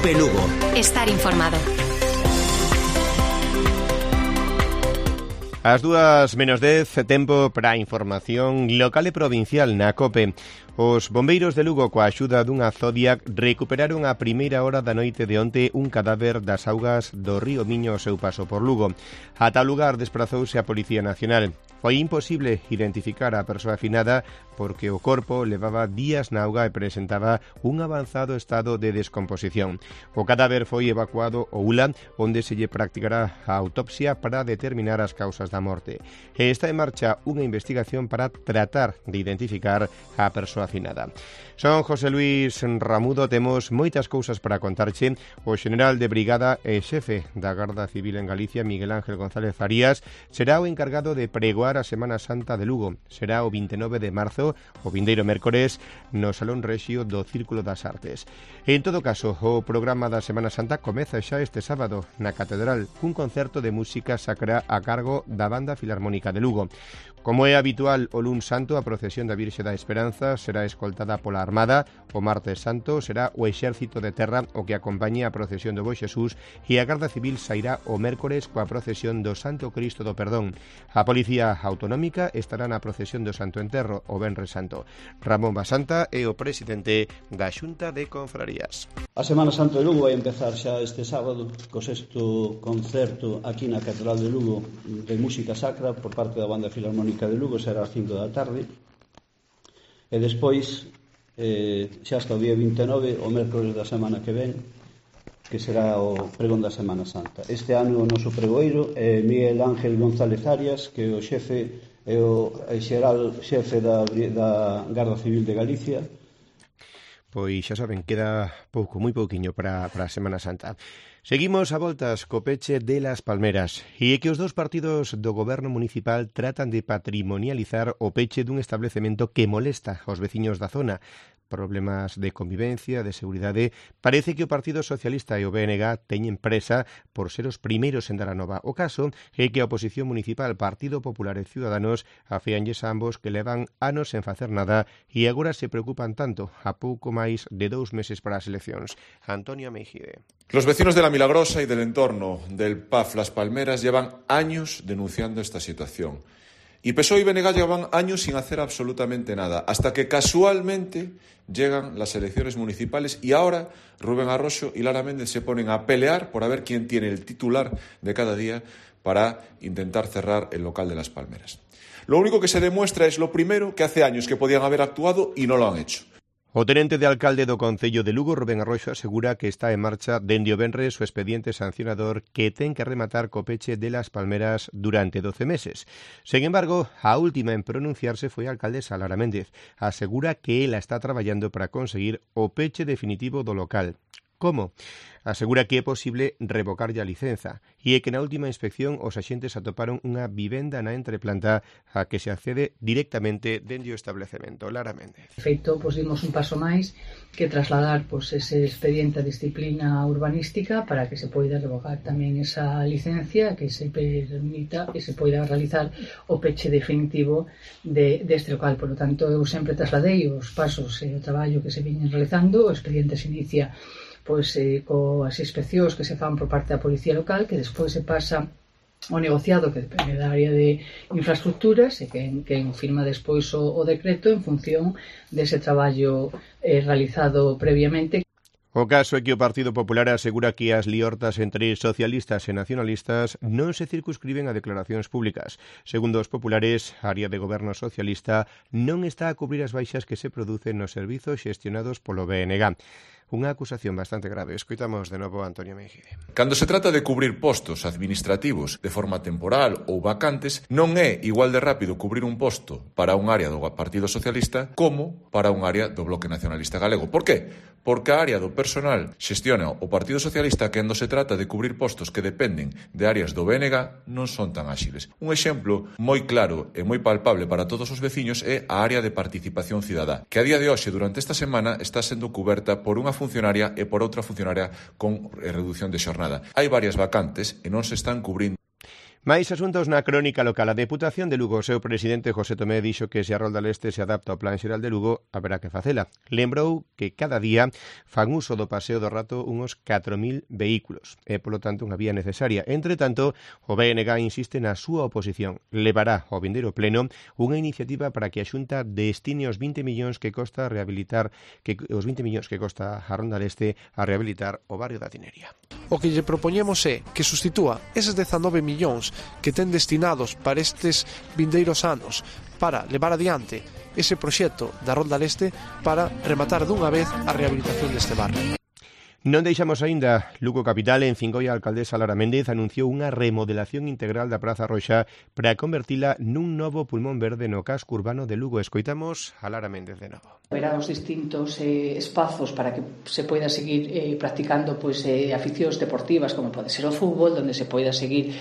Cope Lugo. Estar informado. As 2:10, tempo para a información local e provincial na COPE. Os bombeiros de Lugo, coa axuda dunha Zodiac, recuperaron a primeira hora da noite de onte un cadáver das augas do río Miño ao seu paso por Lugo. A tal lugar desprazouse a Policía Nacional. Foi imposible identificar a persoa afinada porque o corpo levaba días na auga e presentaba un avanzado estado de descomposición. O cadáver foi evacuado ao ULA, onde se lle practicará a autopsia para determinar as causas da morte. E está en marcha unha investigación para tratar de identificar a persoa afinada. Son José Luis Ramudo, temos moitas cousas para contarche. O xeneral de brigada e xefe da Garda Civil en Galicia, Miguel Ángel González Farías, será o encargado de pregoar a Semana Santa de Lugo. Será o 29 de marzo, o vindeiro mércores, no Salón Rexio do Círculo das Artes. En todo caso, o programa da Semana Santa comeza xa este sábado na Catedral, cun concerto de música sacra a cargo da Banda Filarmónica de Lugo. Como é habitual o luns santo, a procesión da Virxe da Esperanza será escoltada pola Armada. O martes santo será o Exército de Terra o que acompañe a procesión do Bo Xesús, e a Garda Civil sairá o mércores coa procesión do Santo Cristo do Perdón. A Policía Autonómica estará na procesión do Santo Enterro o Venres Santo. Ramón Basanta é o presidente da Xunta de Confrarías. A Semana Santa de Lugo vai empezar xa este sábado co sexto concerto aquí na Catedral de Lugo de música sacra por parte da Banda Filarmónica de Lugo, será ás 5 da tarde, e despois xa hasta o día 29, o mércores da semana que ven, que será o pregón da Semana Santa. Este ano o noso pregoeiro é Miguel Ángel González Arias, que é o xefe e o xeral xefe da Garda Civil de Galicia. Pois xa saben, queda pouco, moi pouquiño para a Semana Santa. Seguimos a voltas co peche de Las Palmeras, e é que os dous partidos do goberno municipal tratan de patrimonializar o peche dun establecemento que molesta aos veciños da zona. Problemas de convivencia, de seguridade. Parece que o Partido Socialista e o BNG teñen presa por ser os primeiros en dar a nova. O caso é que a oposición municipal, Partido Popular e Ciudadanos, afeanlles a ambos que levan anos sen facer nada e agora se preocupan tanto a pouco máis de 2 meses para as eleccións. Antonio Meijide. Los vecinos de La Milagrosa y del entorno del PAF Las Palmeras llevan años denunciando esta situación. Y PSOE y BNG llevan años sin hacer absolutamente nada, hasta que casualmente llegan las elecciones municipales y ahora Rubén Arroyo y Lara Méndez se ponen a pelear por a ver quién tiene el titular de cada día para intentar cerrar el local de Las Palmeras. Lo único que se demuestra es lo primero, que hace años que podían haber actuado y no lo han hecho. O tenente de alcalde do Concello de Lugo, Rubén Arroxo, asegura que está en marcha dende o venres o expediente sancionador que ten que rematar co peche de Las Palmeras durante 12 meses. Sen embargo, a última en pronunciarse foi a alcaldesa Lara Méndez. Asegura que ela está traballando para conseguir o peche definitivo do local. Como? Asegura que é posible revocarlle a licenza e é que na última inspección os axentes atoparon unha vivenda na entreplanta a que se accede directamente dende o establecemento. Lara Méndez. De feito, dimos un paso máis que trasladar ese expediente a disciplina urbanística para que se poida revocar tamén esa licencia, que se permita e se poida realizar o peche definitivo deste local. Por lo tanto, eu sempre trasladei os pasos e o traballo que se viñen realizando. O expediente se inicia coas inspeccións que se fan por parte da Policía Local, que despois se pasa ao negociado que depende da área de infraestructuras e que firma despois o decreto en función dese traballo realizado previamente. O caso é que o Partido Popular asegura que as liortas entre socialistas e nacionalistas non se circunscriben a declaracións públicas. Segundo os populares, a área de goberno socialista non está a cubrir as baixas que se producen nos servizos xestionados polo BNG. Unha acusación bastante grave. Escoitamos de novo a Antonio Meijide. Cando se trata de cubrir postos administrativos de forma temporal ou vacantes, non é igual de rápido cubrir un posto para un área do Partido Socialista como para un área do Bloque Nacionalista Galego. Por qué? Porque a área do personal xestiona o Partido Socialista, que cando se trata de cubrir postos que dependen de áreas do BNG non son tan áxiles. Un exemplo moi claro e moi palpable para todos os veciños é a área de participación cidadá, que a día de hoxe, durante esta semana, está sendo cuberta por unha funcionaria e por outra funcionaria con reducción de xornada. Hai varias vacantes e non se están cubrindo. Máis asuntos na crónica local. A Deputación de Lugo, o seu presidente José Tomé dixo que se a Rolda Leste se adapta ao Plan Xeral de Lugo, haberá que facela. Lembrou que cada día fan uso do paseo do rato uns 4.000 vehículos. É, polo tanto, unha vía necesaria. Entre tanto, o BNG insiste na súa oposición. Levará ao vindeiro pleno unha iniciativa para que a Xunta destine os 20 millóns que costa rehabilitar a Ronda Leste a rehabilitar o barrio da Tinería. O que lle propoñemos é que sustitúa eses 19 millóns que ten destinados para estes vindeiros anos para levar adiante ese proxecto da Ronda Leste para rematar dunha vez a rehabilitación deste barrio. Non deixamos aínda Lugo capital. En Cincoia, a alcaldesa Lara Méndez anunciou unha remodelación integral da Praza Roxa para convertila nun novo pulmón verde no casco urbano de Lugo. Escoitamos a Lara Méndez de novo. Haberá os distintos espazos para que se poida seguir practicando aficións deportivas, como pode ser o fútbol, donde se poida seguir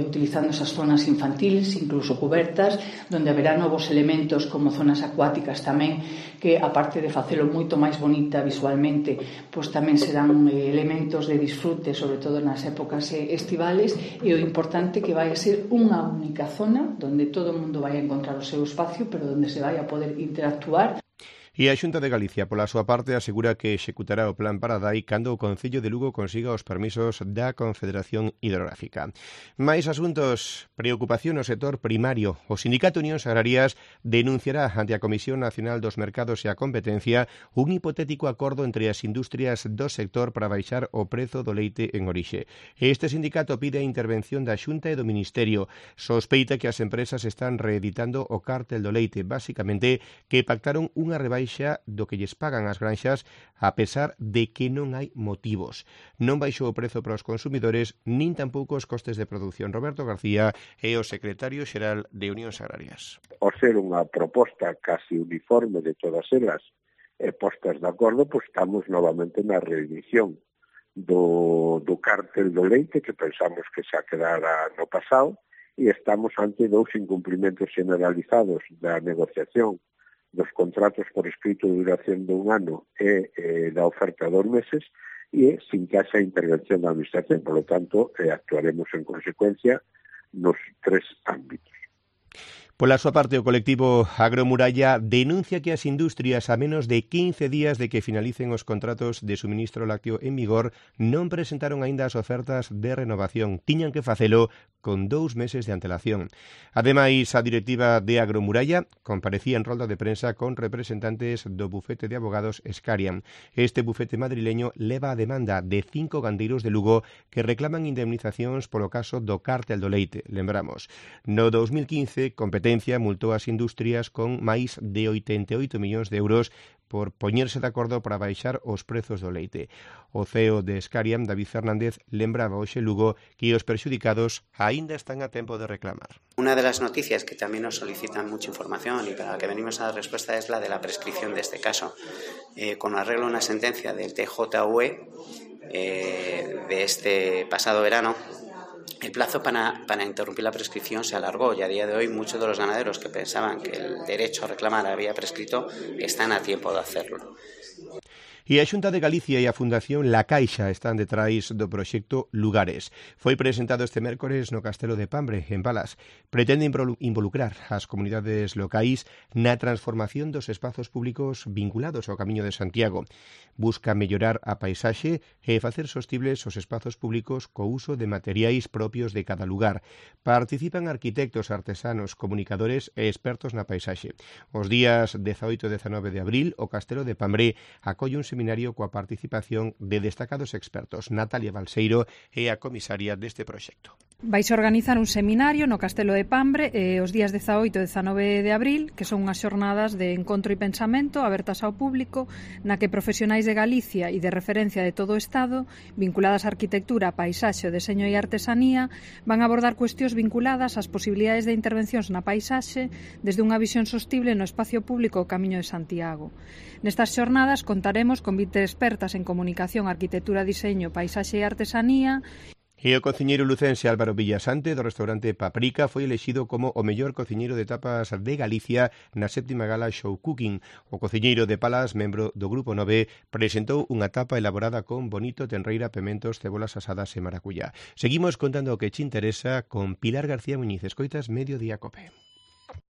utilizando esas zonas infantiles, incluso cubertas, donde haberá novos elementos como zonas acuáticas tamén, que aparte de facelo moito máis bonita visualmente, pois tamén serán elementos de disfrute, sobre todo nas épocas estivales, e o importante que vai a ser unha única zona donde todo o mundo vai a encontrar o seu espacio, pero donde se vai a poder interactuar. E a Xunta de Galicia, pola súa parte, asegura que executará o plan Paradai cando o Concello de Lugo consiga os permisos da Confederación Hidrográfica. Mais asuntos, preocupación no sector primario. O Sindicato Unións Agrarias denunciará ante a Comisión Nacional dos Mercados e a Competencia un hipotético acordo entre as industrias do sector para baixar o prezo do leite en orixe. Este sindicato pide a intervención da Xunta e do Ministerio. Sospeita que as empresas están reeditando o cártel do leite, basicamente que pactaron unha rebaixa do que lles pagan as granxas a pesar de que non hai motivos. Non baixou o prezo para os consumidores nin tampouco os costes de produción. Roberto García é o secretario xeral de Unións Agrarias. Ao ser unha proposta casi uniforme de todas elas postas de acordo, pois estamos novamente na reedición do cártel do leite que pensamos que xa quedara no pasado e estamos ante dous incumprimentos generalizados da negociación dos contratos por escrito de duración de un ano e da oferta de 2 meses e sin que haxa intervención da Administración. Por lo tanto, actuaremos en consecuencia nos 3 ámbitos. Pola súa parte, o colectivo Agromuralla denuncia que as industrias a menos de 15 días de que finalicen os contratos de suministro lácteo en vigor non presentaron aínda as ofertas de renovación. Tiñan que facelo con 2 meses de antelación. Ademais, a directiva de Agromuralla comparecía en rolda de prensa con representantes do bufete de abogados Scarian. Este bufete madrileño leva a demanda de 5 gandeiros de Lugo que reclaman indemnizacións polo caso do cártel do leite. Lembramos, no 2015, Competencia multou as industrias con máis de 88 millóns de euros por poñerse de acordo para baixar os prezos do leite. O CEO de Scariam, David Fernández, lembraba hoxe Lugo que os perxudicados aínda están a tempo de reclamar. Una de las noticias que también nos solicitan mucha información y para la que venimos a dar respuesta es la de la prescripción de este caso. Con arreglo a una sentencia del TJUE de este pasado verano, el plazo para interrumpir la prescripción se alargó y a día de hoy muchos de los ganaderos que pensaban que el derecho a reclamar había prescrito están a tiempo de hacerlo. E a Xunta de Galicia e a Fundación La Caixa están detrás do proxecto Lugares. Foi presentado este mércores no Castelo de Pambre, en Balas. Pretende involucrar as comunidades locais na transformación dos espazos públicos vinculados ao Camiño de Santiago. Busca mellorar a paisaxe e facer sostibles os espazos públicos co uso de materiais propios de cada lugar. Participan arquitectos, artesanos, comunicadores e expertos na paisaxe. Os días 18 e 19 de abril, o Castelo de Pambre acolle un seminario coa participación de destacados expertos. Natalia Balseiro é a comisaria deste proxecto. Vais organizar un seminario no Castelo de Pambre os días 18 e 19 de abril, que son unhas xornadas de encontro e pensamento abertas ao público, na que profesionais de Galicia e de referencia de todo o Estado, vinculadas á arquitectura, paisaxe, o deseño e artesanía, van a abordar cuestións vinculadas ás posibilidades de intervencións na paisaxe desde unha visión sostible no espacio público o Camiño de Santiago. Nestas xornadas contaremos con 20 expertas en comunicación, arquitectura, diseño, paisaxe e artesanía. E o cociñeiro lucense Álvaro Villasante do restaurante Paprika foi elexido como o mellor cociñeiro de tapas de Galicia na 7ª Gala Show Cooking. O cociñeiro de Palas, membro do Grupo 9, presentou unha tapa elaborada con bonito, tenreira, pementos, cebolas asadas e maracuyá. Seguimos contando o que che interesa con Pilar García Muñiz. Escoitas Mediodía Cope.